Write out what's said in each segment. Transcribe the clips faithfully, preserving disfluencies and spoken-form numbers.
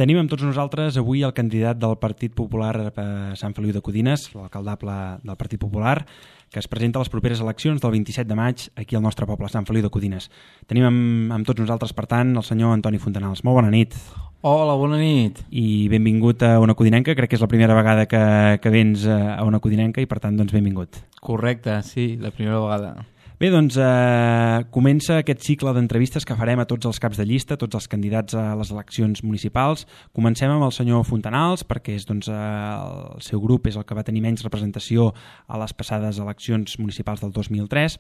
Tenim amb tots nosaltres avui el candidat del Partit Popular a Sant Feliu de Codines, l'alcaldable del Partit Popular, que es presenta a les properes eleccions del vint-i-set de maig aquí al nostre poble, Sant Feliu de Codines. Tenim amb, amb tots nosaltres, per tant, el senyor Antoni Fontanals. Molt bona nit. Hola, bona nit. I benvingut a Ona Codinenca. Crec que és la primera vegada que, que vens a Ona Codinenca i, per tant, doncs, benvingut. Correcte, sí, la primera vegada. Bé, doncs eh, comença aquest cicle d'entrevistes que farem a tots els caps de llista, tots els candidats a les eleccions municipals. Comencem amb el senyor Fontanals, perquè és, doncs, eh, el seu grup és el que va tenir menys representació a les passades eleccions municipals del dos mil tres,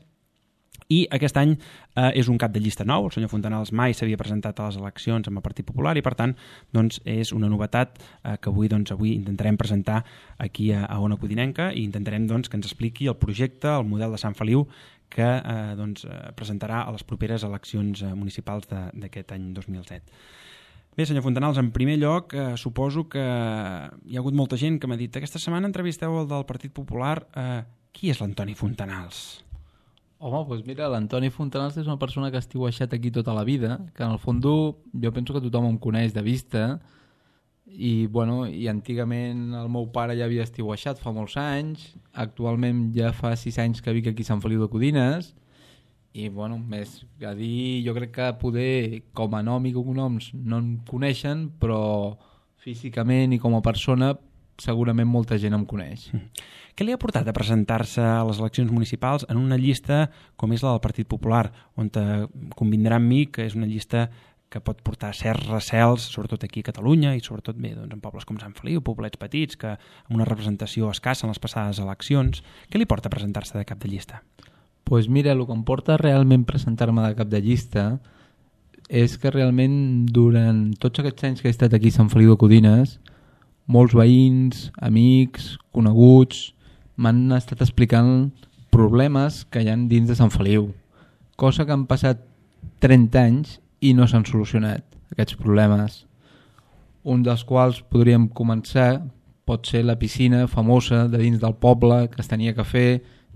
i aquest any eh, és un cap de llista nou. El senyor Fontanals mai s'havia presentat a les eleccions amb el Partit Popular i, per tant, doncs, és una novetat eh, que avui, doncs, avui intentarem presentar aquí a, a Ona Codinenca i intentarem, doncs, que ens expliqui el projecte, el model de Sant Feliu que eh, doncs, presentarà a les properes eleccions municipals d'aquest any dos mil set. Bé, senyor Fontanals, en primer lloc, eh, suposo que hi ha hagut molta gent que m'ha dit aquesta setmana entrevisteu el del Partit Popular. Eh, qui és l'Antoni Fontanals? Home, doncs mira, l'Antoni Fontanals és una persona que ha estiueixat aquí tota la vida, que en el fons jo penso que tothom em coneix de vista, i, bueno, i antigament el meu pare ja havia estiueixat fa molts anys, actualment ja fa sis anys que vic aquí a Sant Feliu de Codines, i bueno, més a dir, jo crec que poder com a nom i cognoms no em coneixen, però físicament i com a persona segurament molta gent em coneix. Què li ha portat a presentar-se a les eleccions municipals en una llista com és la del Partit Popular, on convindrà amb mi que és una llista que pot portar certs recels, sobretot aquí a Catalunya i sobretot bé, doncs, en pobles com Sant Feliu, poblets petits, que amb una representació escassa en les passades eleccions. Què li porta a presentar-se de cap de llista? Doncs pues mira, el que em porta realment presentar-me de cap de llista és que realment durant tots aquests anys que he estat aquí a Sant Feliu de Codines, molts veïns, amics, coneguts, m'han estat explicant problemes que hi ha dins de Sant Feliu, cosa que han passat trenta anys i no s'han solucionat aquests problemes. Un dels quals podríem començar pot ser la piscina famosa de dins del poble que es tenia que fer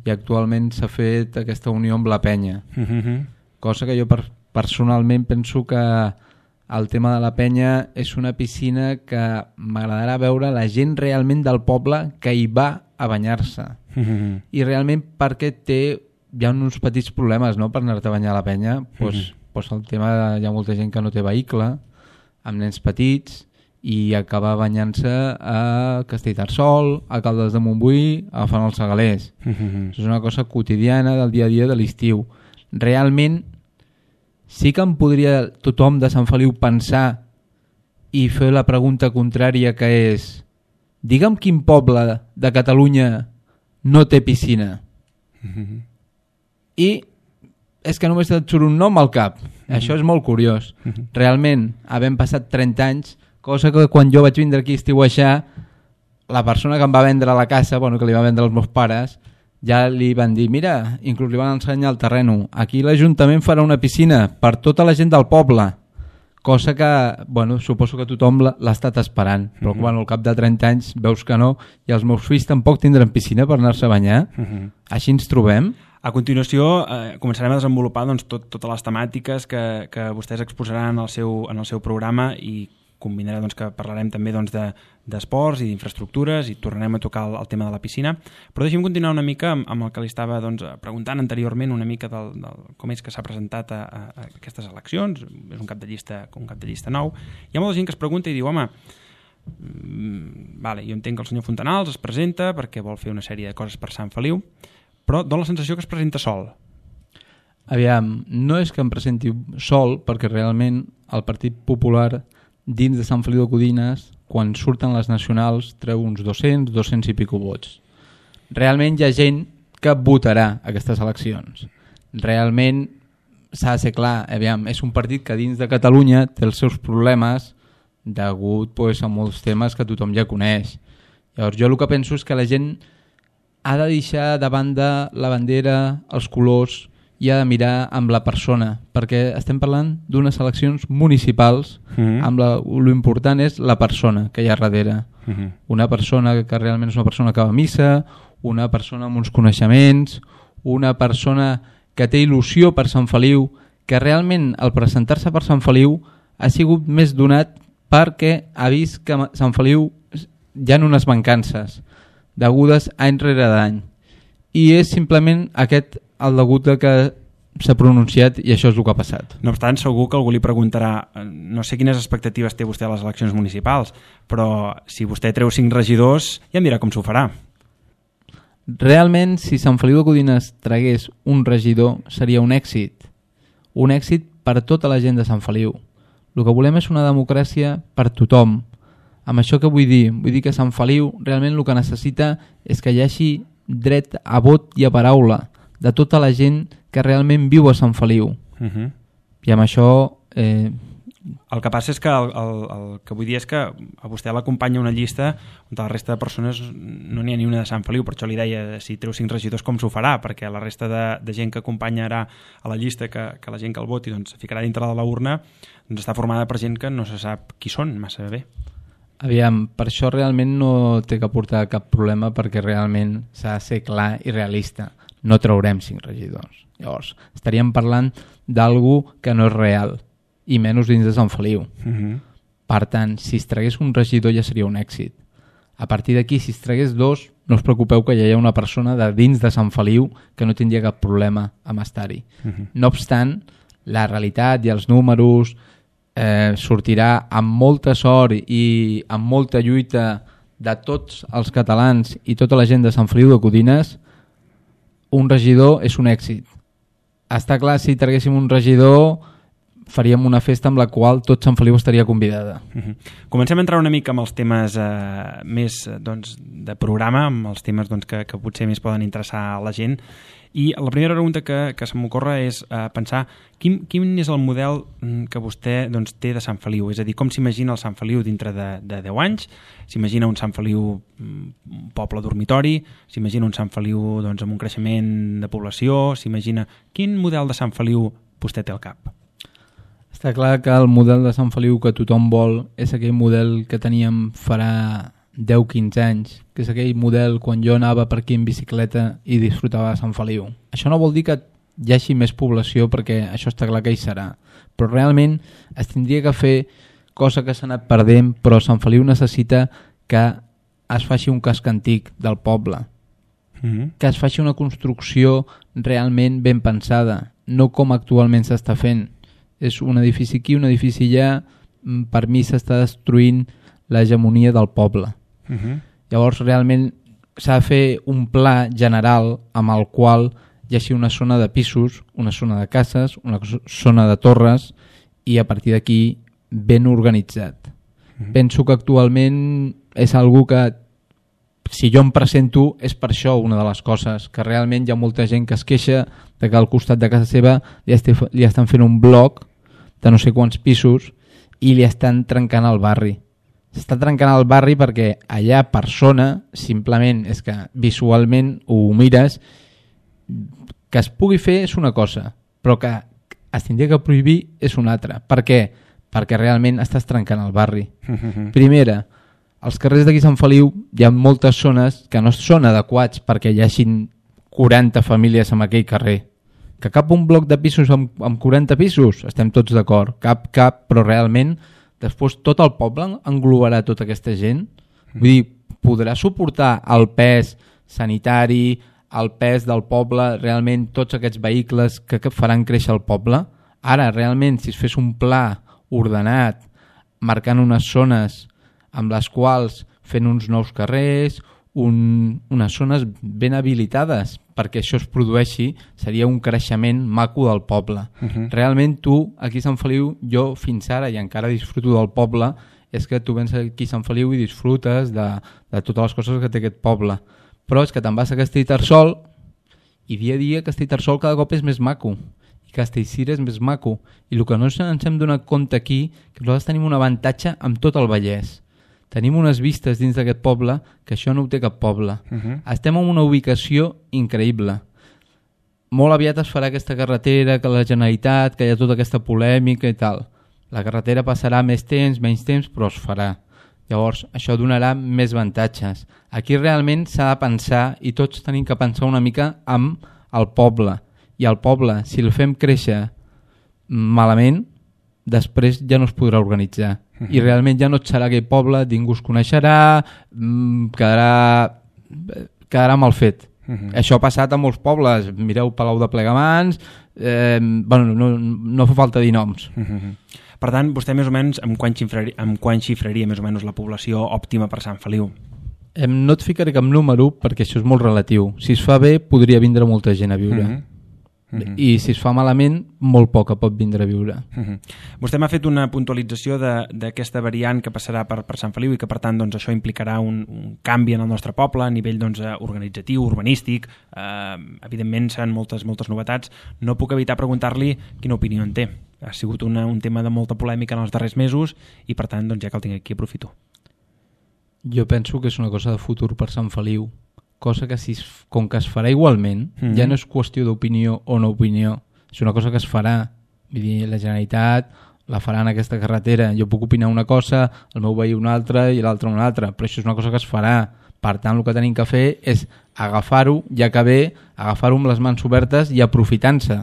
i actualment s'ha fet aquesta unió amb la penya. Mm-hmm. Cosa que jo per, personalment penso que el tema de la penya és una piscina que m'agradarà veure la gent realment del poble que hi va a banyar-se. Mm-hmm. I realment perquè té, hi ha uns petits problemes, no?, per anar-te a banyar a la penya. Pues, mm-hmm. Pues el tema de, hi ha molta gent que no té vehicle, amb nens petits, i acaba banyant-se a Castellterçol, a Caldes de Montbui, agafant els segalers. Mm-hmm. És una cosa quotidiana del dia a dia de l'estiu. Realment, sí que em podria tothom de Sant Feliu pensar i fer la pregunta contrària, que és: digue'm quin poble de Catalunya no té piscina. Mm-hmm. I és que només et surt un nom al cap. Mm-hmm. Això és molt curiós. Mm-hmm. Realment, havent passat trenta anys, cosa que quan jo vaig vindre aquí a estiueixar, la persona que em va vendre la casa, bueno, que li va vendre els meus pares, ja li van dir, mira, inclús li van ensenyar el terreno, aquí l'Ajuntament farà una piscina per tota la gent del poble, cosa que, bueno, suposo que tothom l'ha estat esperant, però mm-hmm. bueno, al cap de trenta anys veus que no, i els meus fills tampoc tindran piscina per anar-se a banyar. Mm-hmm. Així ens trobem. A continuació eh, començarem a desenvolupar, doncs, tot, totes les temàtiques que, que vostès exposaran en el seu, en el seu programa, i combinarà, doncs, que parlarem també, doncs, de, d'esports i d'infraestructures, i tornarem a tocar el, el tema de la piscina. Però deixem continuar una mica amb, amb el que li estava, doncs, preguntant anteriorment, una mica del, del, com és que s'ha presentat a, a, a aquestes eleccions. És un cap de llista, un cap de llista nou. Hi ha molta gent que es pregunta i diu, home, mm, vale, jo entenc que el senyor Fontanals es presenta perquè vol fer una sèrie de coses per Sant Feliu, però dona la sensació que es presenta sol. Aviam, no és que em presenti sol, perquè realment el Partit Popular dins de Sant Feliu de Codines, quan surten les nacionals, treu uns dos-cents, dos-cents i pico vots. Realment hi ha gent que votarà aquestes eleccions. Realment s'ha de ser clar, aviam, és un partit que dins de Catalunya té els seus problemes degut, pues, a molts temes que tothom ja coneix. Llavors jo el que penso és que la gent ha de deixar de banda la bandera, els colors, i ha de mirar amb la persona, perquè estem parlant d'unes eleccions municipals, mm-hmm. amb la, l'important és la persona que hi ha darrere. Mm-hmm. Una persona que realment és una persona que va a missa, una persona amb uns coneixements, una persona que té il·lusió per Sant Feliu, que realment al presentar-se per Sant Feliu ha sigut més donat perquè ha vist que a Sant Feliu hi ha unes mancances degudes any rere d'any i és simplement aquest el degut de que s'ha pronunciat i això és el que ha passat. No obstant, segur que algú li preguntarà, no sé quines expectatives té vostè a les eleccions municipals, però si vostè treu cinc regidors ja em dirà com s'ho farà. Realment, si Sant Feliu de Codines tragués un regidor, seria un èxit. Un èxit per tota la gent de Sant Feliu. El que volem és una democràcia per tothom. Amb això que vull dir? Vull dir que Sant Feliu realment el que necessita és que hi hagi dret a vot i a paraula de tota la gent que realment viu a Sant Feliu. Uh-huh. I amb això... Eh... El que passa és que el, el, el que vull dir és que a vostè l'acompanya una llista on la resta de persones no n'hi ha ni una de Sant Feliu, per això li deia si treu cinc regidors com s'ho farà, perquè la resta de, de gent que acompanyarà a la llista, que, que la gent que el voti doncs, ficarà dintre de la urna, doncs està formada per gent que no se sap qui són massa bé. Aviam, per això realment no té que portar cap problema perquè realment s'ha de ser clar i realista. No traurem cinc regidors. Llavors, estaríem parlant d'algú que no és real i menys dins de Sant Feliu. Uh-huh. Per tant, si es tragués un regidor ja seria un èxit. A partir d'aquí, si es tragués dos, no us preocupeu que ja hi ha una persona de dins de Sant Feliu que no tindria cap problema amb estar-hi. Uh-huh. No obstant, la realitat i els números eh, sortirà amb molta sort i amb molta lluita de tots els catalans i tota la gent de Sant Feliu de Codines. Un regidor és un èxit. Està clar, si traguéssim un regidor faríem una festa amb la qual tot Sant Feliu estaria convidada. Uh-huh. Comencem a entrar una mica amb els temes eh, més doncs, de programa, amb els temes doncs, que, que potser més poden interessar a la gent. I la primera pregunta que, que se m'ocorre és eh, pensar quin, quin és el model que vostè doncs, té de Sant Feliu, és a dir, com s'imagina el Sant Feliu dintre de, de deu anys, s'imagina un Sant Feliu un poble dormitori, s'imagina un Sant Feliu doncs, amb un creixement de població, s'imagina... Quin model de Sant Feliu vostè té al cap? Està clar que el model de Sant Feliu que tothom vol és aquell model que teníem farà deu quinze anys, que és aquell model quan jo anava per aquí en bicicleta i disfrutava de Sant Feliu. Això no vol dir que hi hagi més població, perquè això està clar que hi serà, però realment es tindria que fer cosa que s'ha anat perdent, però Sant Feliu necessita que es faci un casc antic del poble, mm-hmm. que es faci una construcció realment ben pensada, no com actualment s'està fent. És un edifici aquí, un edifici allà, per mi s'està destruint l'hegemonia del poble. Uh-huh. Llavors realment s'ha de fer un pla general amb el qual hi hagi una zona de pisos, una zona de cases, una zona de torres i a partir d'aquí ben organitzat. Uh-huh. Penso que actualment és algo que si jo em presento és per això una de les coses, que realment hi ha molta gent que es queixa de que al costat de casa seva li, este, li estan fent un bloc de no sé quants pisos i li estan trencant el barri. S'està trencant el barri perquè allà per zona simplement és que visualment ho mires, que es pugui fer és una cosa, però que es tindria que prohibir és una altra. Per què? Perquè realment estàs trencant el barri. Primera, als carrers d'aquí Sant Feliu hi ha moltes zones que no són adequats perquè hi hagin quaranta famílies en aquell carrer. Que cap un bloc de pisos amb, amb quaranta pisos, estem tots d'acord, cap, cap, però realment després tot el poble englobarà tota aquesta gent. Vull dir, podrà suportar el pes sanitari, el pes del poble, realment tots aquests vehicles que, que faran créixer el poble. Ara, realment, si es fes un pla ordenat, marcant unes zones amb les quals fent uns nous carrers, un, unes zones ben habilitades perquè això es produeixi, seria un creixement maco del poble. Uh-huh. Realment tu, aquí a Sant Feliu, jo fins ara i encara disfruto del poble, és que tu vens aquí a Sant Feliu i disfrutes de, de totes les coses que té aquest poble. Però és que te'n vas a Castellterçol i dia a dia Castellterçol cada cop és més maco i Castellcir és més maco. I el que no ens hem donat compte aquí, que nosaltres tenim un avantatge amb tot el Vallès. Tenim unes vistes dins d'aquest poble que això no ho té cap poble. Uh-huh. Estem en una ubicació increïble. Molt aviat es farà aquesta carretera, que la Generalitat, que hi ha tota aquesta polèmica i tal. La carretera passarà més temps, menys temps, però es farà. Llavors, això donarà més avantatges. Aquí realment s'ha de pensar, i tots tenim que pensar una mica amb el poble. I el poble, si el fem créixer malament, després ja no es podrà organitzar. Uh-huh. I realment ja no et serà aquell poble, ningú es coneixerà, quedarà, quedarà mal fet. Uh-huh. Això ha passat a molts pobles, mireu Palau de Plegamans, eh, bueno, no, no fa falta dir noms. Uh-huh. Per tant, vostè més o menys amb quant xifraria, amb quant xifraria més o menys la població òptima per Sant Feliu? Eh, no et ficaré cap número perquè això és molt relatiu. Si es fa bé podria vindre molta gent a viure. Uh-huh. Uh-huh. I si es fa malament, molt poca pot vindre a viure. Uh-huh. Vostè m'ha fet una puntualització d'aquesta variant que passarà per, per Sant Feliu i que per tant doncs, això implicarà un, un canvi en el nostre poble a nivell doncs, organitzatiu, urbanístic, eh, evidentment seran moltes, moltes novetats. No puc evitar preguntar-li quina opinió en té. Ha sigut una, un tema de molta polèmica en els darrers mesos i per tant doncs, ja que el tinc aquí aprofito. Jo penso que és una cosa de futur per Sant Feliu, cosa que si es, com que es farà igualment, mm-hmm. ja no és qüestió d'opinió o no opinió, és una cosa que es farà. Vull dir, la Generalitat la farà en aquesta carretera. Jo puc opinar una cosa, el meu veí una altra i l'altre una altra, però això és una cosa que es farà. Per tant, el que tenim que fer és agafar-ho, ja que ve, agafar-ho amb les mans obertes i aprofitant-se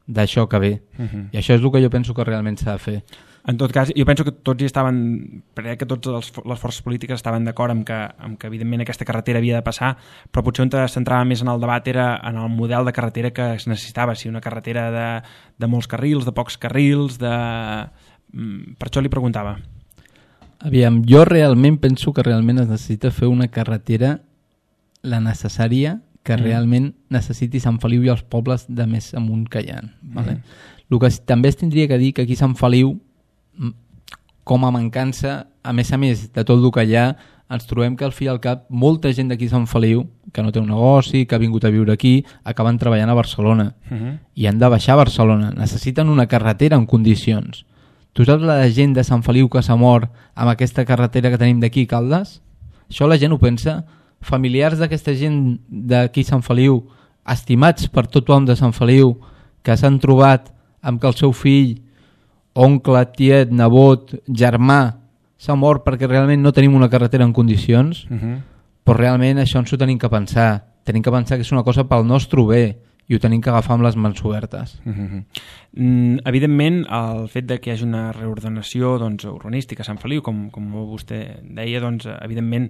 d'això que ve. Mm-hmm. I això és el que jo penso que realment s'ha de fer. En tot cas, jo penso que tots hi estaven, crec que tots els, les forces polítiques estaven d'acord amb que, amb que evidentment aquesta carretera havia de passar, però potser on es centrava més en el debat era en el model de carretera que es necessitava, si una carretera de, de molts carrils, de pocs carrils, de... per això li preguntava. Aviam, jo realment penso que realment es necessita fer una carretera la necessària que mm. realment necessiti Sant Feliu i els pobles de més amunt que hi ha. Vale? Mm. El que també es tindria que dir que aquí Sant Feliu, com a mancança, a més a més de tot el que hi ha, ens trobem que al fi i al cap molta gent d'aquí Sant Feliu, que no té un negoci, que ha vingut a viure aquí, acaben treballant a Barcelona. Uh-huh. I han de baixar a Barcelona. Necessiten una carretera en condicions. Tu saps la gent de Sant Feliu que s'ha mort amb aquesta carretera que tenim d'aquí, Caldes? Això la gent ho pensa. Familiars d'aquesta gent d'aquí Sant Feliu, estimats per tothom de Sant Feliu, que s'han trobat amb que el seu fill, oncle, tiet, nebot, germà s'ha mort perquè realment no tenim una carretera en condicions, uh-huh. però realment això ens ho tenim que pensar. Tenim que pensar que és una cosa pel nostre bé i ho tenim que agafar amb les mans obertes. Uh-huh. Mm, evidentment, el fet de que hi hagi una reordenació doncs, urbanística a Sant Feliu, com, com vostè deia, doncs, evidentment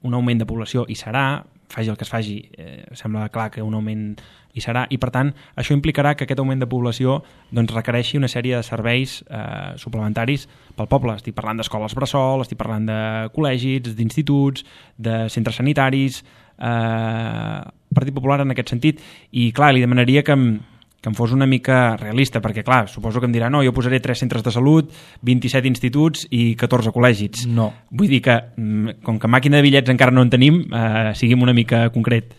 un augment de població hi serà, faci el que es faci, eh, sembla clar que un augment hi serà, i per tant això implicarà que aquest augment de població doncs, requereixi una sèrie de serveis eh, suplementaris pel poble. Estic parlant d'escoles bressol, estic parlant de col·legis, d'instituts, de centres sanitaris, eh, Partit Popular en aquest sentit, i clar, li demanaria que em, que em fos una mica realista, perquè clar, suposo que em dirà no, jo posaré tres centres de salut, vint-i-set instituts i catorze col·legis. No. Vull dir que, com que màquina de bitllets encara no en tenim, eh, siguem una mica concret.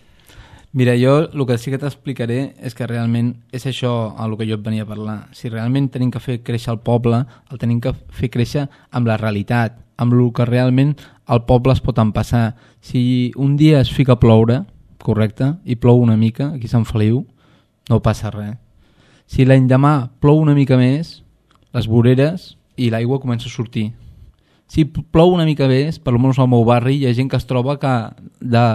Mira, jo el que sí que t'explicaré és que realment és això a el que jo et venia a parlar. Si realment tenim que fer créixer el poble, el tenim que fer créixer amb la realitat, amb el que realment el poble es pot empassar. Si un dia es fica a ploure, correcte, i plou una mica, aquí a Sant Feliu, no passa res. Si l'endemà plou una mica més, les voreres i l'aigua comença a sortir. Si plou una mica més, per almenys al meu barri, hi ha gent que es troba que de,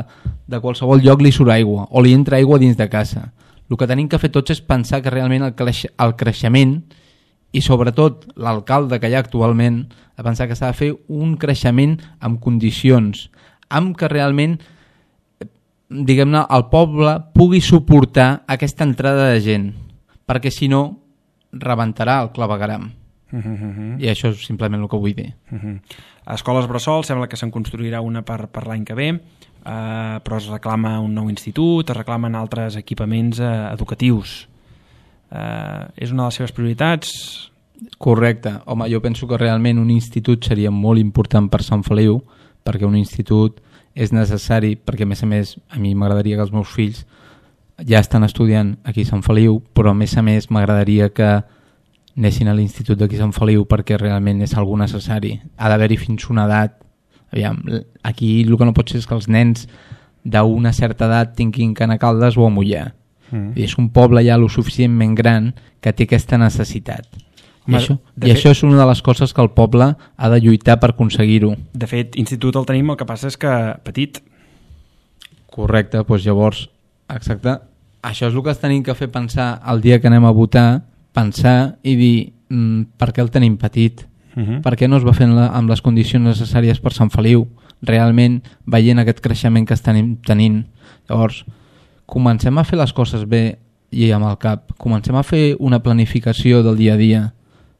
de qualsevol lloc li surt aigua o li entra aigua dins de casa. El que tenim que fer tots és pensar que realment el, creix, el creixement i sobretot l'alcalde que hi ha actualment, a pensar que s'ha de fer un creixement amb condicions, amb que realment diguem-ne, el poble pugui suportar aquesta entrada de gent, perquè si no, rebentarà el clavegueram. Uh -huh. I això és simplement el que vull dir. Uh -huh. A escoles bressol sembla que se'n construirà una per, per l'any que ve, eh, però es reclama un nou institut, es reclamen altres equipaments eh, educatius. Eh, és una de les seves prioritats? Correcte. Home, jo penso que realment un institut seria molt important per Sant Feliu, perquè un institut és necessari, perquè a més a més a mi m'agradaria que els meus fills ja estan estudiant aquí a Sant Feliu, però a més a més m'agradaria que anessin a l'institut d'aquí a Sant Feliu perquè realment és algo necessari. Ha d'haver-hi fins una edat. Aviam, aquí el que no pot ser és que els nens d'una certa edat tinguin que anar a Caldes o a Mollà. Mm. I és un poble ja lo suficientment gran que té aquesta necessitat. I, això, i fet, això és una de les coses que el poble ha de lluitar per aconseguir-ho. De fet, institut el tenim, el que passa és que petit. Correcte, doncs llavors, exacte, això és el que es tenim que fer pensar el dia que anem a votar, pensar i dir mm, per què el tenim petit? Uh-huh. Per què no es va fer amb les condicions necessàries per Sant Feliu, realment veient aquest creixement que estan tenint? Llavors, comencem a fer les coses bé i amb el cap, comencem a fer una planificació del dia a dia,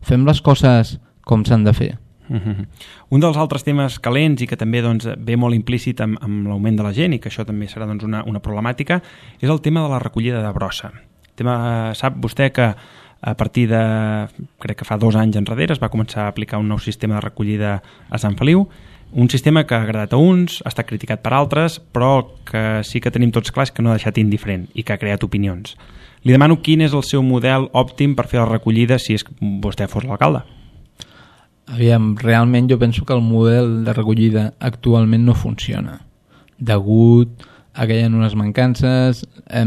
fem les coses com s'han de fer. Uh-huh. Un dels altres temes calents i que també doncs, ve molt implícit amb, amb l'augment de la gent i que això també serà doncs, una, una problemàtica és el tema de la recollida de brossa. El tema, sap vostè que a partir de, crec que fa dos anys enrere, es va començar a aplicar un nou sistema de recollida a Sant Feliu, un sistema que ha agradat a uns, ha estat criticat per altres, però que sí que tenim tots clars que no ha deixat indiferent i que ha creat opinions. Li demano quin és el seu model òptim per fer la recollida si és que vostè fos l'alcalde. Aviam, realment jo penso que el model de recollida actualment no funciona. Degut a que hi ha unes mancances, eh,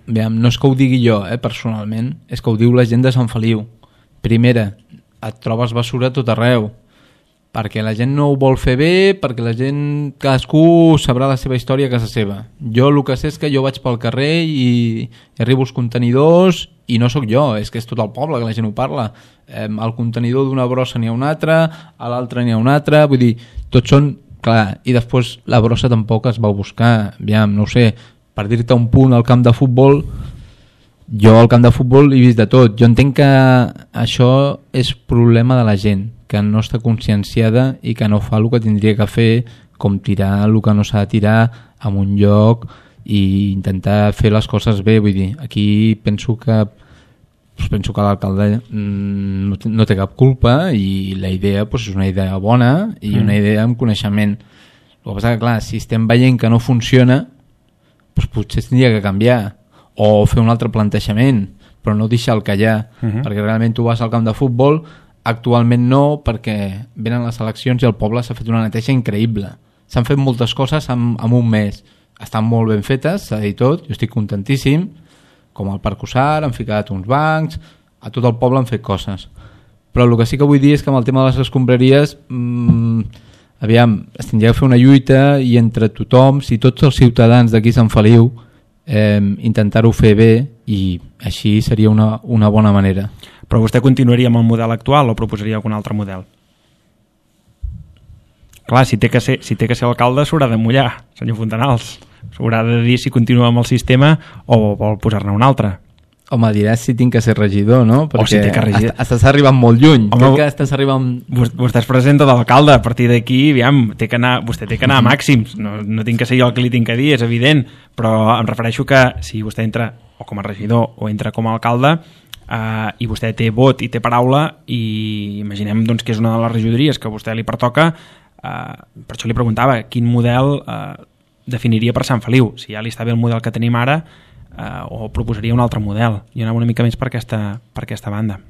aviam, no és que ho digui jo eh, personalment, és que ho diu la gent de Sant Feliu. Primera, et trobes basura a tot arreu, perquè la gent no ho vol fer bé, perquè la gent, cadascú sabrà la seva història a casa seva. Jo el que sé és que jo vaig pel carrer i, i arribo als contenidors i no sóc jo, és que és tot el poble que la gent ho parla. Eh, al contenidor d'una brossa n'hi ha un altre, a l'altre n'hi ha un altre, vull dir, tots són, clar, i després la brossa tampoc es va buscar, aviam, no ho sé, per dir-te un punt al camp de futbol, jo al camp de futbol he vist de tot, jo entenc que això és problema de la gent, que no està conscienciada i que no fa el que tindria que fer, com tirar el que no s'ha de tirar en un lloc i intentar fer les coses bé. Vull dir, aquí penso que penso que l'alcalde no té, no té cap culpa i la idea pues, és una idea bona i una idea amb coneixement. El que passa que, clar, si estem veient que no funciona, pues, potser tindria que canviar o fer un altre plantejament, però no deixar el que hi ha, uh-huh. perquè realment tu vas al camp de futbol. Actualment no, perquè venen les eleccions i el poble s'ha fet una neteja increïble. S'han fet moltes coses en, en un mes. Estan molt ben fetes, s'ha dit tot, jo estic contentíssim, com al Parc Usar, han ficat uns bancs, a tot el poble han fet coses. Però el que sí que vull dir és que amb el tema de les escombraries, mmm, aviam, es tindria que fer una lluita i entre tothom, si tots els ciutadans d'aquí Sant Feliu, eh, intentar-ho fer bé i així seria una, una bona manera. Però vostè continuaria amb el model actual o proposaria algun altre model? Clar, si té que ser, si té que ser alcalde s'haurà de mullar, senyor Fontanals. S'haurà de dir si continua amb el sistema o vol posar-ne un altre. Home, diràs si tinc que ser regidor, no? Perquè o si té que regidor. Estàs, estàs arribant molt lluny. Home, Crec que estàs arribant... Vostè es presenta d'alcalde, a partir d'aquí, aviam, té que anar, vostè té que anar a màxims. No, no tinc que ser jo el que li tinc que dir, és evident, però em refereixo que si vostè entra o com a regidor o entra com a alcalde, Uh, i vostè té vot i té paraula i imaginem doncs, que és una de les regidories que a vostè li pertoca, uh, per això li preguntava quin model uh, definiria per Sant Feliu, si ja li està bé el model que tenim ara uh, o proposaria un altre model. Jo anava una mica més per aquesta, per aquesta banda.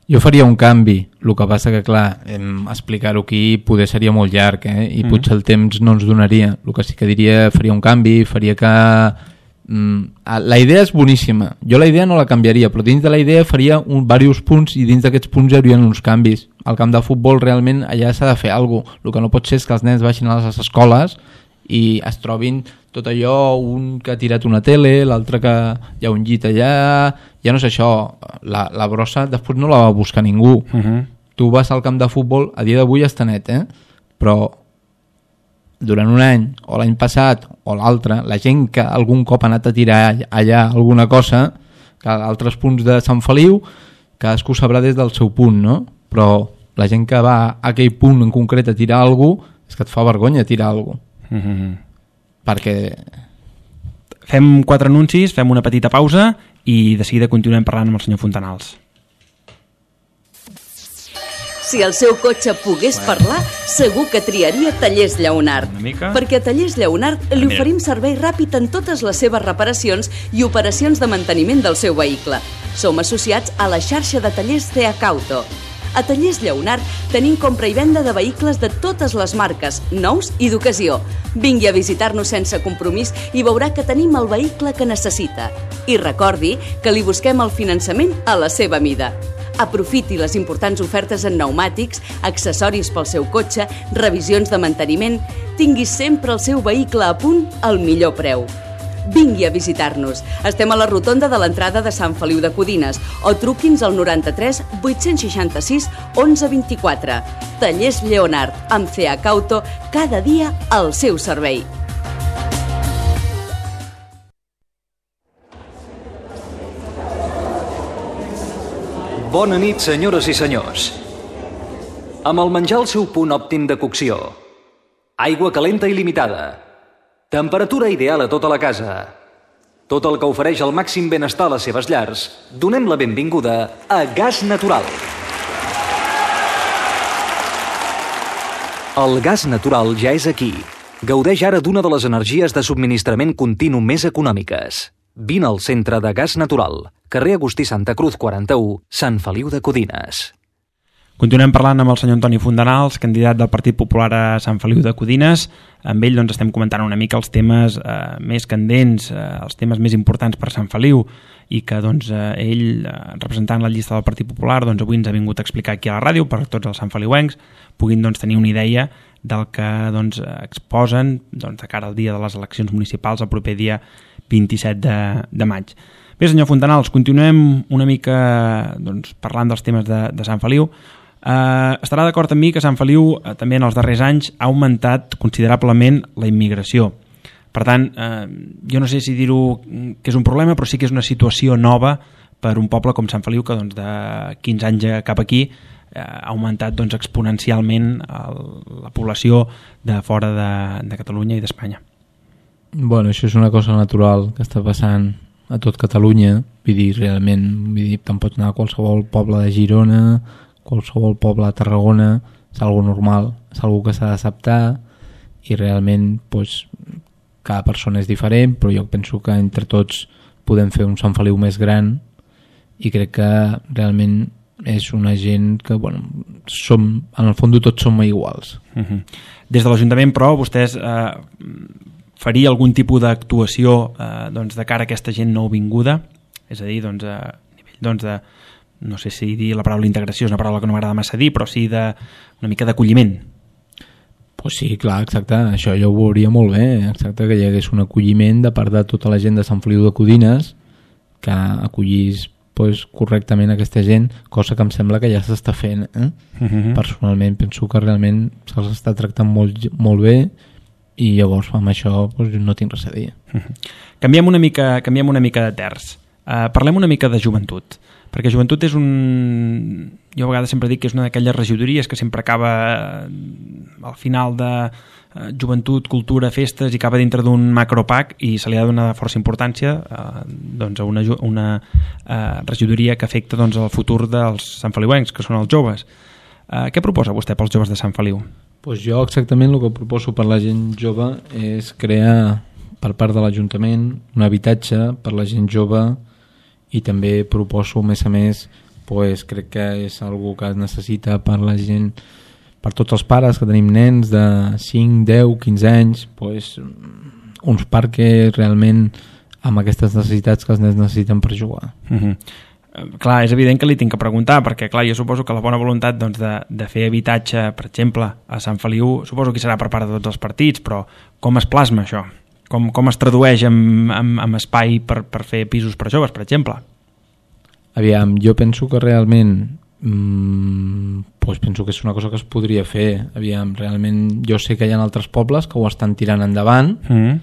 Jo faria un canvi, el que passa que clar, explicar-ho aquí poder seria molt llarg eh? i mm. potser el temps no ens donaria. El que sí que diria, faria un canvi, faria que la idea és boníssima, jo la idea no la canviaria, però dins de la idea faria un, diversos punts i dins d'aquests punts hi haurien uns canvis. Al camp de futbol realment allà s'ha de fer alguna cosa, el que no pot ser és que els nens vagin a les escoles i es trobin tot allò, un que ha tirat una tele, l'altre que hi ha un llit allà, ja no és això, la, la brossa després no la va buscar ningú. Uh-huh. Tu vas al camp de futbol, a dia d'avui està net, eh? Però durant un any, o l'any passat, o l'altre, la gent que algun cop ha anat a tirar allà alguna cosa, que a altres punts de Sant Feliu, cadascú sabrà des del seu punt, no? Però la gent que va a aquell punt en concret a tirar alguna cosa, és que et fa vergonya tirar alguna cosa. Mm-hmm. Perquè... Fem quatre anuncis, fem una petita pausa i de seguida continuem parlant amb el senyor Fontanals. Si el seu cotxe pogués parlar, segur que triaria Tallers Lleonart. Perquè a Tallers Lleonart li oferim servei ràpid en totes les seves reparacions i operacions de manteniment del seu vehicle. Som associats a la xarxa de tallers C H Auto. A Tallers Lleonart tenim compra i venda de vehicles de totes les marques, nous i d'ocasió. Vingui a visitar-nos sense compromís i veurà que tenim el vehicle que necessita. I recordi que li busquem el finançament a la seva mida. Aprofiti les importants ofertes en pneumàtics, accessoris pel seu cotxe, revisions de manteniment. Tingui sempre el seu vehicle a punt al millor preu. vingui a visitar-nos. Estem a la rotonda de l'entrada de Sant Feliu de Codines o truqui'ns al noranta-tres vuit-cents seixanta-sis onze vint-i-quatre. Tallers Lleonart, amb C H Auto, cada dia al seu servei. Bona nit, senyores i senyors. Amb el menjar al seu punt òptim de cocció, aigua calenta il·limitada, temperatura ideal a tota la casa, tot el que ofereix el màxim benestar a les seves llars, donem la benvinguda a Gas Natural. El gas natural ja és aquí. Gaudeix ara d'una de les energies de subministrament continu més econòmiques. Vine al centre de Gas Natural, carrer Agustí Santa Cruz quaranta-u, Sant Feliu de Codines. Continuem parlant amb el senyor Antoni Fontanals, candidat del Partit Popular a Sant Feliu de Codines. Amb ell doncs, estem comentant una mica els temes eh, més candents, eh, els temes més importants per Sant Feliu, i que doncs, eh, ell, eh, representant la llista del Partit Popular, doncs, avui ens ha vingut a explicar aquí a la ràdio per tots els santfeliuencs puguin doncs, tenir una idea del que doncs, exposen doncs, de cara al dia de les eleccions municipals el proper dia vint-i-set de, de maig. Bé, senyor Fontanals, continuem una mica doncs, parlant dels temes de, de Sant Feliu. Uh, estarà d'acord amb mi que Sant Feliu uh, també en els darrers anys ha augmentat considerablement la immigració. Per tant, uh, jo no sé si dir-ho que és un problema, però sí que és una situació nova per un poble com Sant Feliu que doncs, de quinze anys cap aquí uh, ha augmentat doncs, exponencialment el, la població de fora de, de Catalunya i d'Espanya. Bueno, això és una cosa natural que està passant a tot Catalunya. Vull dir, realment, vull dir, te'n pots anar a qualsevol poble de Girona, qualsevol poble de Tarragona, és algo normal, és algo que s'ha d'acceptar i realment pues, cada persona és diferent, però jo penso que entre tots podem fer un Sant Feliu més gran i crec que realment és una gent que, bueno, som, en el fons tots som iguals. Uh-huh. Des de l'Ajuntament, però, vostès eh, faria algun tipus d'actuació eh, doncs, de cara a aquesta gent nouvinguda? És a dir, doncs, a nivell doncs, de no sé si dir la paraula integració és una paraula que no m'agrada massa dir, però sí de, una mica d'acolliment. Pues sí, clar, exacte, això jo ho veuria molt bé, exacte, que hi hagués un acolliment de part de tota la gent de Sant Feliu de Codines, que acollís pues, correctament aquesta gent, cosa que em sembla que ja s'està fent. Eh? Uh-huh. Personalment penso que realment se'ls està tractant molt, molt bé i llavors amb això pues, no tinc res a dir. Uh-huh. Canviem una mica, canviem una mica de terç. Uh, parlem una mica de joventut, perquè joventut és un... Jo a vegades sempre dic que és una d'aquelles regidories que sempre acaba al final de uh, joventut, cultura, festes i acaba dintre d'un macropac i se li ha de donar força importància uh, doncs a una, una uh, regidoria que afecta doncs, el futur dels santfeliuencs, que són els joves. Uh, què proposa vostè pels joves de Sant Feliu? Pues jo exactament el que proposo per la gent jove és crear per part de l'Ajuntament un habitatge per la gent jove i també proposo, a més a més, pues, crec que és algo que es necessita per la gent, per tots els pares que tenim nens de cinc, deu, quinze anys, pues, uns parcs realment amb aquestes necessitats que els nens necessiten per jugar. Uh-huh. Clar, és evident que li tinc que preguntar, perquè clar, jo suposo que la bona voluntat doncs, de, de fer habitatge, per exemple, a Sant Feliu, suposo que serà per part de tots els partits, però com es plasma això? Com, com es tradueix en, en, en espai per, per fer pisos per joves, per exemple? Aviam, jo penso que realment mmm, pues penso que és una cosa que es podria fer. Aviam, realment jo sé que hi ha altres pobles que ho estan tirant endavant mm.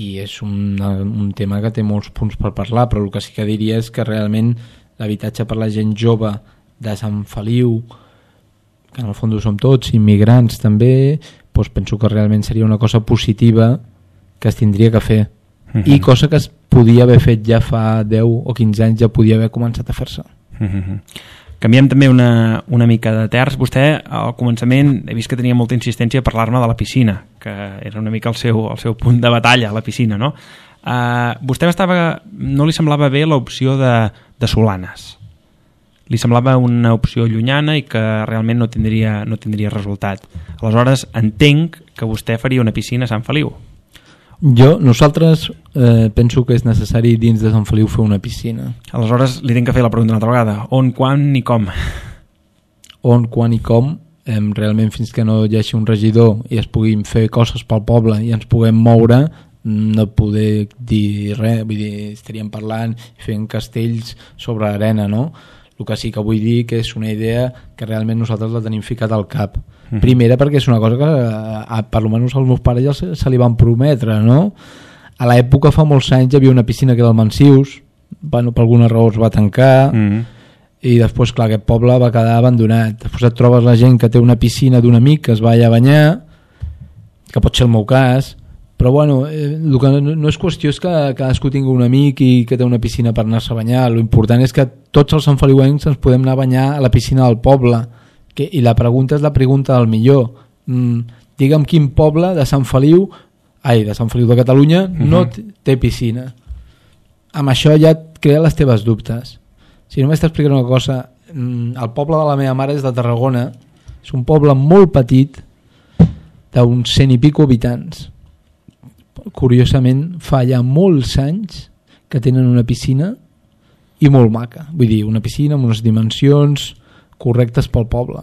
i és un, un tema que té molts punts per parlar, però el que sí que diria és que realment l'habitatge per la gent jove de Sant Feliu, que en el fons ho som tots, immigrants també, pues penso que realment seria una cosa positiva que es tindria que fer. Uh-huh. I cosa que es podia haver fet ja fa deu o quinze anys, ja podia haver començat a fer-se. Uh-huh. Canviem també una, una mica de terç. Vostè al començament he vist que tenia molta insistència a parlar-me de la piscina, que era una mica el seu, el seu punt de batalla, la piscina, no? Uh, vostè estava, no li semblava bé l'opció de, de Solanes. Li semblava una opció llunyana i que realment no tindria, no tindria resultat. Aleshores, entenc que vostè faria una piscina a Sant Feliu. Jo, nosaltres eh, penso que és necessari dins de Sant Feliu fer una piscina. Aleshores li tinc que fer la pregunta una altra vegada. On, quan i com? On, quan i com? Eh, realment fins que no hi hagi un regidor i es puguin fer coses pel poble i ens puguem moure, no poder dir res, vull dir, estaríem parlant fent castells sobre l'arena, no? El que sí que vull dir que és una idea que realment nosaltres la tenim ficat al cap. Mm. Primera perquè és una cosa que a, per almenys als meus pares ja se, se li van prometre, no? A l'època, fa molts anys, hi havia una piscina que era al Mansius, bueno, per alguna raó es va tancar, mm. i després, clar, aquest poble va quedar abandonat. Després et trobes la gent que té una piscina d'un amic que es va allà a banyar, que pot ser el meu cas, però bueno, eh, el que no, no és qüestió és que cadascú tingui un amic i que té una piscina per anar-se a banyar. Lo important és que tots els santfeliuencs ens podem anar a banyar a la piscina del poble, que, i la pregunta és la pregunta del millor. Mm, digue'm quin poble de Sant Feliu, ai, de Sant Feliu de Catalunya, uh-huh. no té piscina. Amb això ja et crea les teves dubtes. Si només t'explicaré una cosa, el poble de la meva mare és de Tarragona, és un poble molt petit, d'uns cent i pico habitants. Curiosament, fa ja molts anys que tenen una piscina i molt maca. Vull dir, una piscina amb unes dimensions correctes pel poble.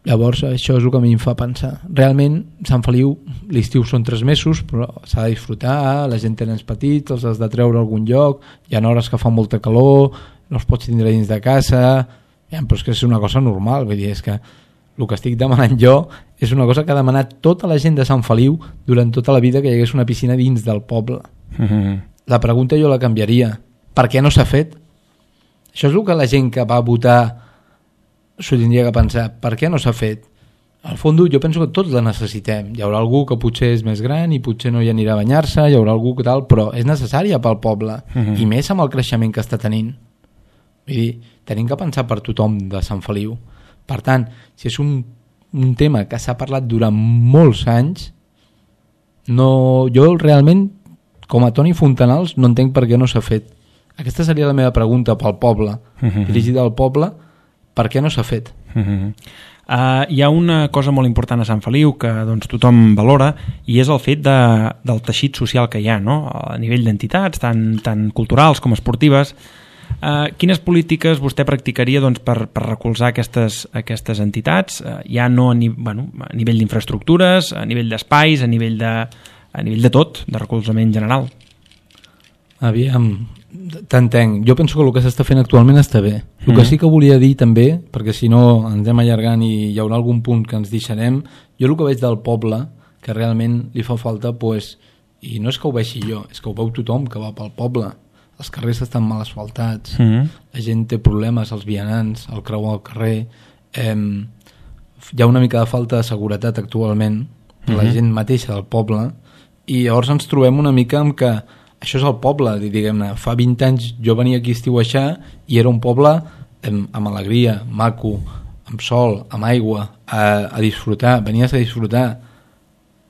Llavors, això és el que a mi em fa pensar. Realment, Sant Feliu, l'estiu són tres mesos, però s'ha de disfrutar, la gent té nens petits, els has de treure a algun lloc, hi ha hores que fa molta calor, no els pots tindre dins de casa, ja, però és que és una cosa normal, vull dir, és que el que estic demanant jo és una cosa que ha demanat tota la gent de Sant Feliu durant tota la vida, que hi hagués una piscina dins del poble. Mm-hmm. La pregunta jo la canviaria. Per què no s'ha fet? Això és el que la gent que va votar s'ho tindria que pensar. Per què no s'ha fet? Al fons jo penso que tots la necessitem. Hi haurà algú que potser és més gran i potser no hi anirà a banyar-se, hi haurà algú que tal, però és necessària pel poble. Mm-hmm. I més amb el creixement que està tenint. Vull dir, tenim que pensar per tothom de Sant Feliu. Per tant, si és un, un tema que s'ha parlat durant molts anys, no, jo realment, com a Toni Fontanals, no entenc per què no s'ha fet. Aquesta seria la meva pregunta pel poble, uh-huh. dirigida al poble, per què no s'ha fet? Uh-huh. Uh, hi ha una cosa molt important a Sant Feliu que doncs, tothom valora, i és el fet de, del teixit social que hi ha, no? A nivell d'entitats, tant, tant culturals com esportives. Uh, quines polítiques vostè practicaria doncs, per, per recolzar aquestes, aquestes entitats, uh, ja no a, ni, bueno, a nivell d'infraestructures, a nivell d'espais, a nivell de, a nivell de tot, de recolzament general? Aviam, t'entenc. Jo penso que el que s'està fent actualment està bé. El que sí que volia dir també, perquè si no ens anem allargant i hi haurà algun punt que ens deixarem, jo el que veig del poble, que realment li fa falta, pues, i no és que ho vegi jo, és que ho veu tothom que va pel poble. Els carrers estan mal asfaltats, mm-hmm. la gent té problemes, els vianants, el creuar al carrer, eh, hi ha una mica de falta de seguretat actualment, mm-hmm. la gent mateixa del poble, i llavors ens trobem una mica amb que això és el poble, diguem-ne. Fa vint anys jo venia aquí a estiueixar i era un poble eh, amb alegria, maco, amb sol, amb aigua, a, a disfrutar, venies a disfrutar.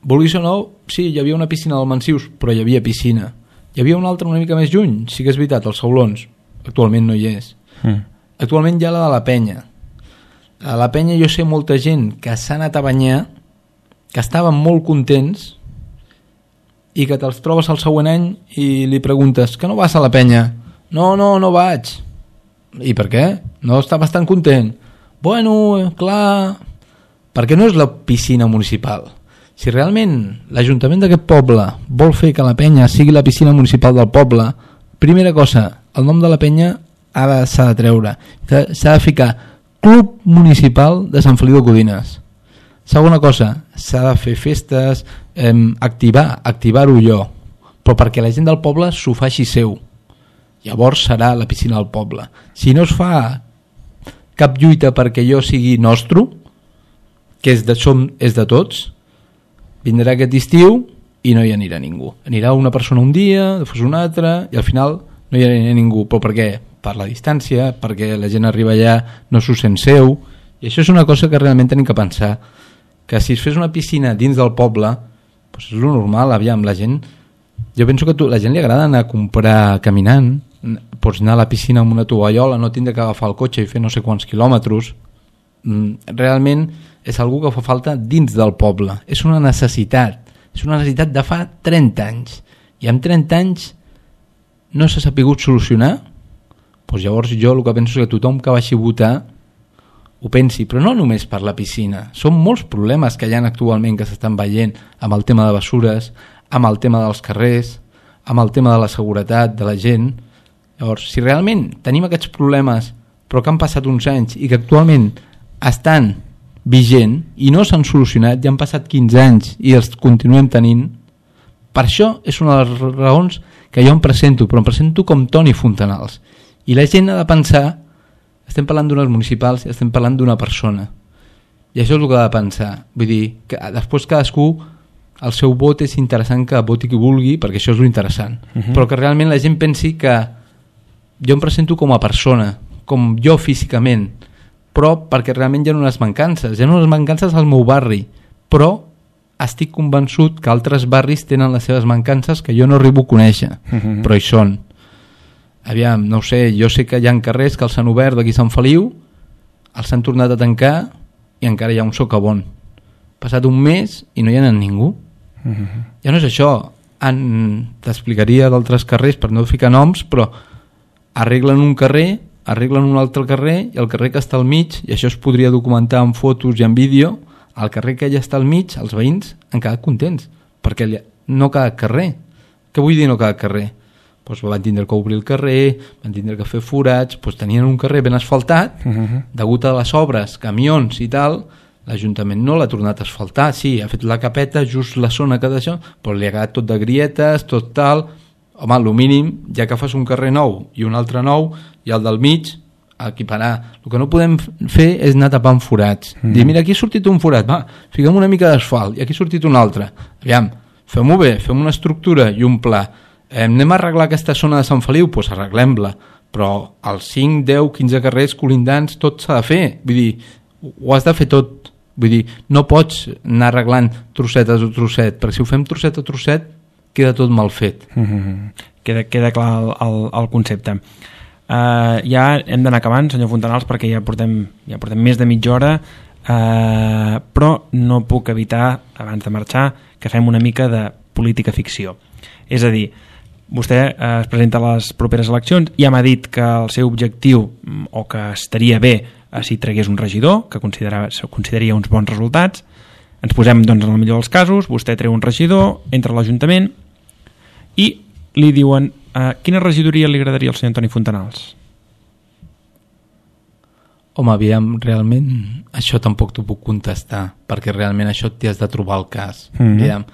Vulguis o no, sí, hi havia una piscina del Mansius, però hi havia piscina. Hi havia una altra una mica més lluny, sí que és veritat, els Saulons. Actualment no hi és. Mm. Actualment hi ha la de la Penya. A la Penya jo sé molta gent que s'ha anat a banyar, que estaven molt contents i que te'ls trobes el següent any i li preguntes que no vas a la Penya? No, no, no vaig. I per què? No estaves tan content? Bueno, clar, perquè no és la piscina municipal. Si realment l'Ajuntament d'aquest poble vol fer que la Penya sigui la piscina municipal del poble, primera cosa, el nom de la Penya ha de, s'ha de treure. S'ha de ficar Club Municipal de Sant Feliu de Codines. Segona cosa, s'ha de fer festes, eh, activar, activar-ho jo, però perquè la gent del poble s'ho faci seu. Llavors serà la piscina del poble. Si no es fa cap lluita perquè jo sigui nostre, que és de, som, és de tots, vindrà aquest estiu i no hi anirà ningú. Anirà una persona un dia, després una altra, i al final no hi anirà ningú. Però per què? Per la distància, perquè la gent arriba allà, no s'ho sent seu, i això és una cosa que realment tenim que pensar, que si es fes una piscina dins del poble, doncs és lo normal, aviam, la gent... Jo penso que a la gent li agrada anar a comprar caminant, pots anar a la piscina amb una tovallola, no tindre que agafar el cotxe i fer no sé quants quilòmetres. Realment és algú que fa falta dins del poble, és una necessitat, és una necessitat de fa trenta anys, i amb trenta anys no s'ha sapigut solucionar. Doncs llavors jo el que penso és que tothom que vagi a votar ho pensi, però no només per la piscina, són molts problemes que hi ha actualment que s'estan veient amb el tema de bessures, amb el tema dels carrers, amb el tema de la seguretat de la gent. Llavors, si realment tenim aquests problemes però que han passat uns anys i que actualment estan vigent i no s'han solucionat, ja han passat quinze anys i els continuem tenint, per això és una de les raons que jo em presento, però em presento com Toni Fontanals. I la gent ha de pensar, estem parlant d'unes municipals i estem parlant d'una persona. I això és el que ha de pensar. Vull dir, que després cadascú, el seu vot és interessant que voti qui vulgui, perquè això és l'interessant. Uh-huh. Però que realment la gent pensi que jo em presento com a persona, com jo físicament, però perquè realment hi ha unes mancances. Hi ha unes mancances al meu barri, però estic convençut que altres barris tenen les seves mancances que jo no arribo a conèixer, uh-huh. però hi són. Aviam, no ho sé, jo sé que hi ha carrers que els han obert d'aquí Sant Feliu, els han tornat a tancar i encara hi ha un socavon. Passat un mes i no hi ha anat ningú. Uh-huh. Ja no és això. Han... T'explicaria d'altres carrers per no ficar noms, però arreglen un carrer, arreglen un altre carrer i el carrer que està al mig, i això es podria documentar en fotos i en vídeo, el carrer que ja està al mig, els veïns han quedat contents, perquè no cada carrer. Què vull dir no cada carrer? Pues van tindre que obrir el carrer, van tindre que fer forats, pues tenien un carrer ben asfaltat, uh-huh. degut a les obres, camions i tal, l'Ajuntament no l'ha tornat a asfaltar, sí, ha fet la capeta, just la zona que d'això, però li ha quedat tot de grietes, tot tal. Home, el mínim, ja que fas un carrer nou i un altre nou, i el del mig, equiparar. El que no podem fer és anar tapant forats. Mm. Dir, mira, aquí ha sortit un forat, va, fiquem una mica d'asfalt, i aquí ha sortit un altre. Aviam, fem-ho bé, fem una estructura i un pla. Eh, anem a arreglar aquesta zona de Sant Feliu? Doncs pues arreglem-la. Però els cinc, deu, quinze carrers colindants, tot s'ha de fer. Vull dir, ho has de fer tot. Vull dir, no pots anar arreglant trosset a trosset, perquè si ho fem trosset a trosset, queda tot mal fet. Mm-hmm. Queda, queda clar el, el, el concepte. Uh, ja hem d'anar acabant, senyor Fontanals, perquè ja portem, ja portem més de mitja hora, uh, però no puc evitar, abans de marxar, que fem una mica de política ficció. És a dir, vostè uh, es presenta a les properes eleccions i ja m'ha dit que el seu objectiu, o que estaria bé uh, si tragués un regidor, que consideraria uns bons resultats. Ens posem, doncs, en el millor dels casos, vostè treu un regidor, entra a l'Ajuntament i li diuen uh, quina regidoria li agradaria al senyor Toni Fontanals? Home, aviam, realment això tampoc t'ho puc contestar, perquè realment això t'hi has de trobar el cas. Mm-hmm. Aviam,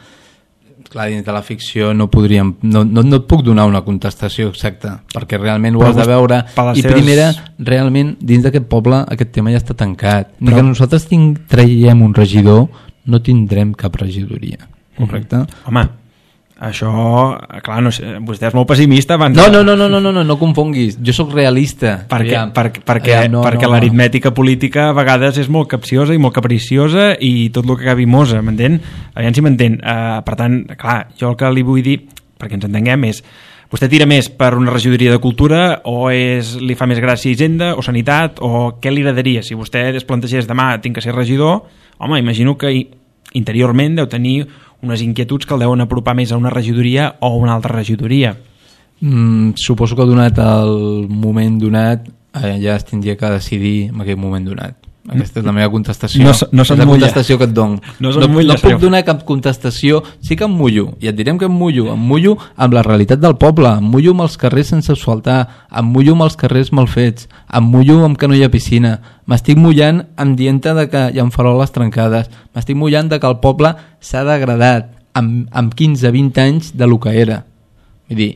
clar, dins de la ficció no podríem, no, no, no et puc donar una contestació exacta, perquè realment ho has de veure, i seves... primera, realment dins d'aquest poble aquest tema ja està tancat. Ni Però... que nosaltres tinc, traiem un regidor, no tindrem cap regidoria, correcte? Mm-hmm. Home, això, clar, no sé, vostè és molt pessimista abans... No, no, no, no, no, no, no, no confonguis, jo sóc realista. Perquè, ja, per, perquè, ja, no, perquè no, l'aritmètica política a vegades és molt capciosa i molt capriciosa i tot el que acabi mosa, m'entén? Aviam si m'entén. Uh, per tant, clar, jo el que li vull dir, perquè ens entenguem, és vostè tira més per una regidoria de cultura o és, li fa més gràcia Hisenda o Sanitat, o què li agradaria? Si vostè es plantegés demà tinc que ser regidor, home, imagino que interiorment deu tenir unes inquietuds que el deuen apropar més a una regidoria o a una altra regidoria. Mm, suposo que donat el moment donat eh, ja es tindria que decidir en aquell moment donat. Aquesta és la meva contestació. No, no és la contestació que et dono. No, no, mulla, no puc donar cap contestació. Sí que em mullo, i et direm que em mullo. Em mullo amb la realitat del poble, em mullo amb els carrers sense asfaltar, em mullo amb els carrers mal fets, em mullo amb que no hi ha piscina, m'estic mullant amb dient-te de que hi ha faroles trencades, m'estic mullant de que el poble s'ha degradat amb, amb quinze vint anys de lo que era. Vull dir,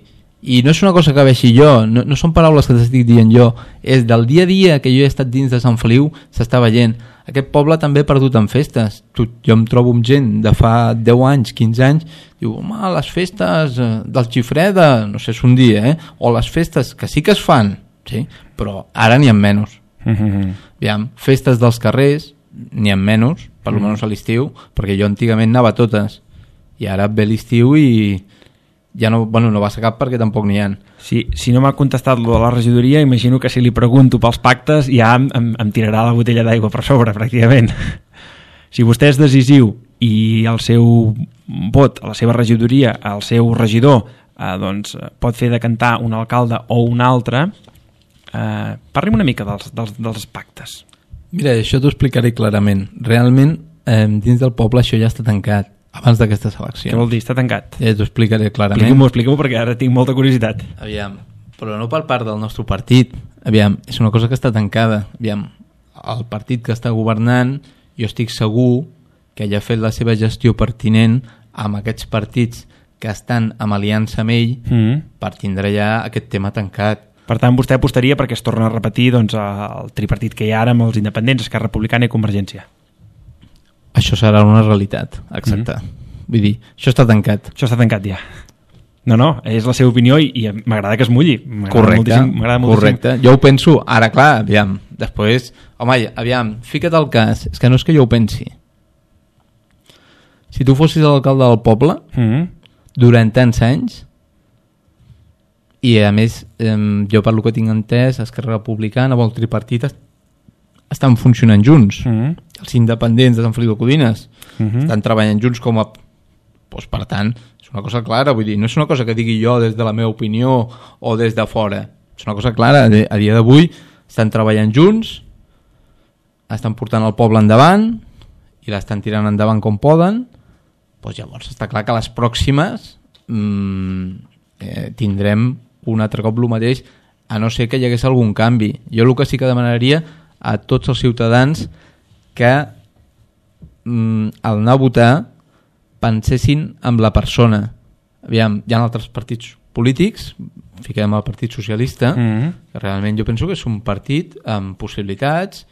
i no és una cosa que veixi jo, no, no són paraules que t'estic dient jo, és del dia a dia que jo he estat dins de Sant Feliu, s'està veient. Aquest poble també ha perdut en festes. Tu, jo em trobo amb gent de fa deu anys, quinze anys, diu, home, les festes del Xifreda, no sé, és un dia, eh? O les festes que sí que es fan, sí? Però ara n'hi ha menys. Mm-hmm. Aviam, festes dels carrers, n'hi ha menys, per mm-hmm. almenys a l'estiu, perquè jo antigament anava a totes, i ara ve l'estiu i... ja no, bueno, no va ser cap perquè tampoc n'hi ha. Si, si no m'ha contestat lo de la regidoria, imagino que si li pregunto pels pactes ja em, em, em tirarà la botella d'aigua per sobre, pràcticament. Si vostè és decisiu i el seu vot, a la seva regidoria, el seu regidor, eh, doncs, pot fer decantar un alcalde o un altre, eh, parli'm una mica dels, dels, dels pactes. Mira, això t'ho explicaré clarament. Realment, eh, dins del poble això ja està tancat. abans d'aquestes eleccions. Què vol dir? Està tancat? Ja t'ho explicaré clarament. Explica-m'ho, explica-m'ho, perquè ara tinc molta curiositat. Aviam, però no per part del nostre partit. Aviam, és una cosa que està tancada. Aviam, el partit que està governant, jo estic segur que ja ha fet la seva gestió pertinent amb aquests partits que estan en aliança amb ell mm. per tindre ja aquest tema tancat. Per tant, vostè apostaria perquè es torna a repetir doncs, el tripartit que hi ha ara amb els independents, Esquerra Republicana i Convergència. Això serà una realitat, exacte. Mm. Vull dir, això està tancat. Això està tancat ja. No, no, és la seva opinió i, i m'agrada que es mulli. Correcte, correcte. Jo ho penso, ara clar, aviam, després, home, aviam, fica't al cas, és que no és que jo ho pensi. Si tu fossis l'alcalde del poble, mm. durant tants anys, i a més, eh, jo per lo que tinc entès, Esquerra Republicana o el tripartit estan funcionant junts. Mm. Els independents de Sant Feliu de Codines mm-hmm. estan treballant junts com a... Pues, per tant, és una cosa clara, vull dir, no és una cosa que digui jo des de la meva opinió o des de fora. És una cosa clara, a dia d'avui estan treballant junts, estan portant el poble endavant i l'estan tirant endavant com poden. Pues llavors està clar que a les pròximes mmm, eh, tindrem un altre cop el mateix, a no ser que hi hagués algun canvi. Jo el que sí que demanaria a tots els ciutadans que mm, al anar a votar pensessin en la persona. Aviam, hi ha altres partits polítics, fiquem el Partit Socialista, mm-hmm. que realment jo penso que és un partit amb possibilitats,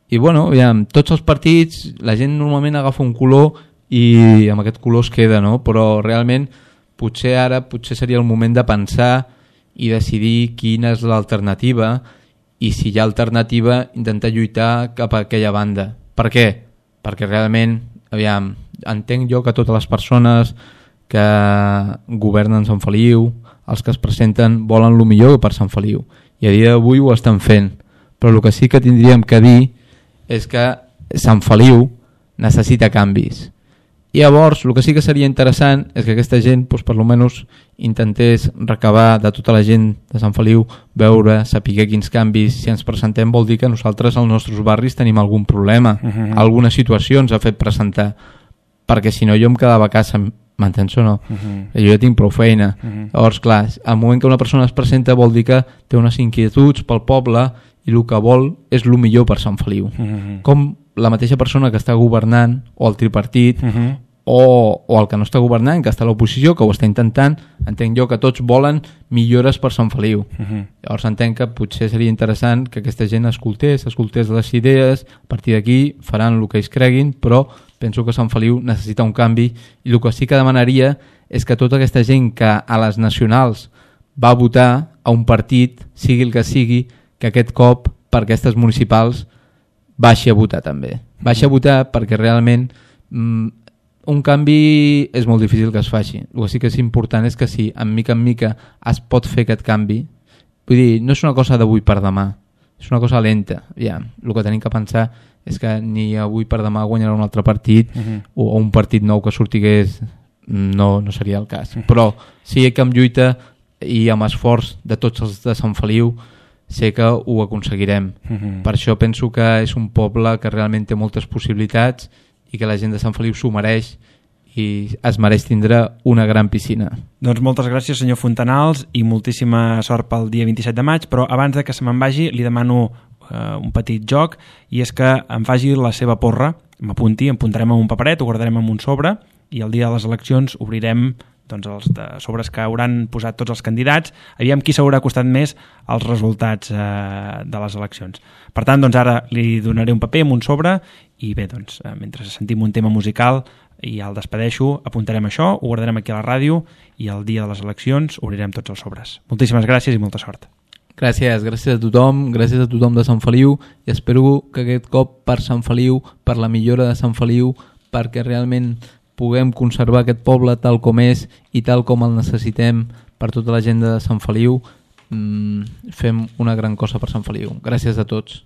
i bueno, aviam, tots els partits, la gent normalment agafa un color i amb aquest color es queda, no? Però realment potser ara potser seria el moment de pensar i decidir quina és l'alternativa, i si hi ha alternativa intentar lluitar cap a aquella banda. Per què? Perquè realment, aviam, entenc jo que totes les persones que governen Sant Feliu, els que es presenten, volen el millor per Sant Feliu, i a dia d'avui ho estan fent, però el que sí que tindríem que dir és que Sant Feliu necessita canvis. I llavors, el que sí que seria interessant és que aquesta gent, doncs, per almenys, intentés recabar de tota la gent de Sant Feliu, veure, saber quins canvis, si ens presentem vol dir que nosaltres als nostres barris tenim algun problema, uh-huh. alguna situació ens ha fet presentar, perquè si no jo em quedava a casa, m'entens o no? Uh-huh. Jo ja tinc prou feina. Uh-huh. Llavors, clar, al moment que una persona es presenta vol dir que té unes inquietuds pel poble i el que vol és el millor per Sant Feliu. Uh-huh. Com la mateixa persona que està governant, o el tripartit, uh-huh. o, o el que no està governant, que està a l'oposició, que ho està intentant, entenc jo que tots volen millores per Sant Feliu. Uh-huh. Llavors entenc que potser seria interessant que aquesta gent escoltés, escoltés les idees, a partir d'aquí faran el que ells creguin, però penso que Sant Feliu necessita un canvi, i el que sí que demanaria és que tota aquesta gent que a les nacionals va votar a un partit, sigui el que sigui, que aquest cop per aquestes municipals baixi a votar també. Baixi a votar perquè realment mm, un canvi és molt difícil que es faci. El que sí que és important és que si en mica en mica es pot fer aquest canvi, vull dir, no és una cosa d'avui per demà, és una cosa lenta. Ja, el que tenim que pensar és que ni avui per demà guanyarà un altre partit uh-huh. o un partit nou que sortigués, no, no seria el cas. Uh-huh. Però sí que amb lluita i amb esforç de tots els de Sant Feliu sé que ho aconseguirem. Uh-huh. Per això penso que és un poble que realment té moltes possibilitats i que la gent de Sant Feliu s'ho mereix i es mereix tindre una gran piscina. Doncs moltes gràcies, senyor Fontanals, i moltíssima sort pel dia vint-i-set de maig, però abans de que se me'n vagi li demano eh, un petit joc, i és que em faci la seva porra, m'apunti, em apuntarem en un paperet, ho guardarem en un sobre, i el dia de les eleccions obrirem doncs, els de sobres que hauran posat tots els candidats, aviam qui s'haurà costat més els resultats eh, de les eleccions. Per tant, doncs ara li donaré un paper amb un sobre i bé, doncs, eh, mentre sentim un tema musical i ja el despedeixo, apuntarem això, ho guardarem aquí a la ràdio i el dia de les eleccions obrirem tots els sobres. Moltíssimes gràcies i molta sort. Gràcies, gràcies a tothom, gràcies a tothom de Sant Feliu, i espero que aquest cop per Sant Feliu, per la millora de Sant Feliu, perquè realment puguem conservar aquest poble tal com és i tal com el necessitem per tota la gent de Sant Feliu, mmm, fem una gran cosa per Sant Feliu. Gràcies a tots.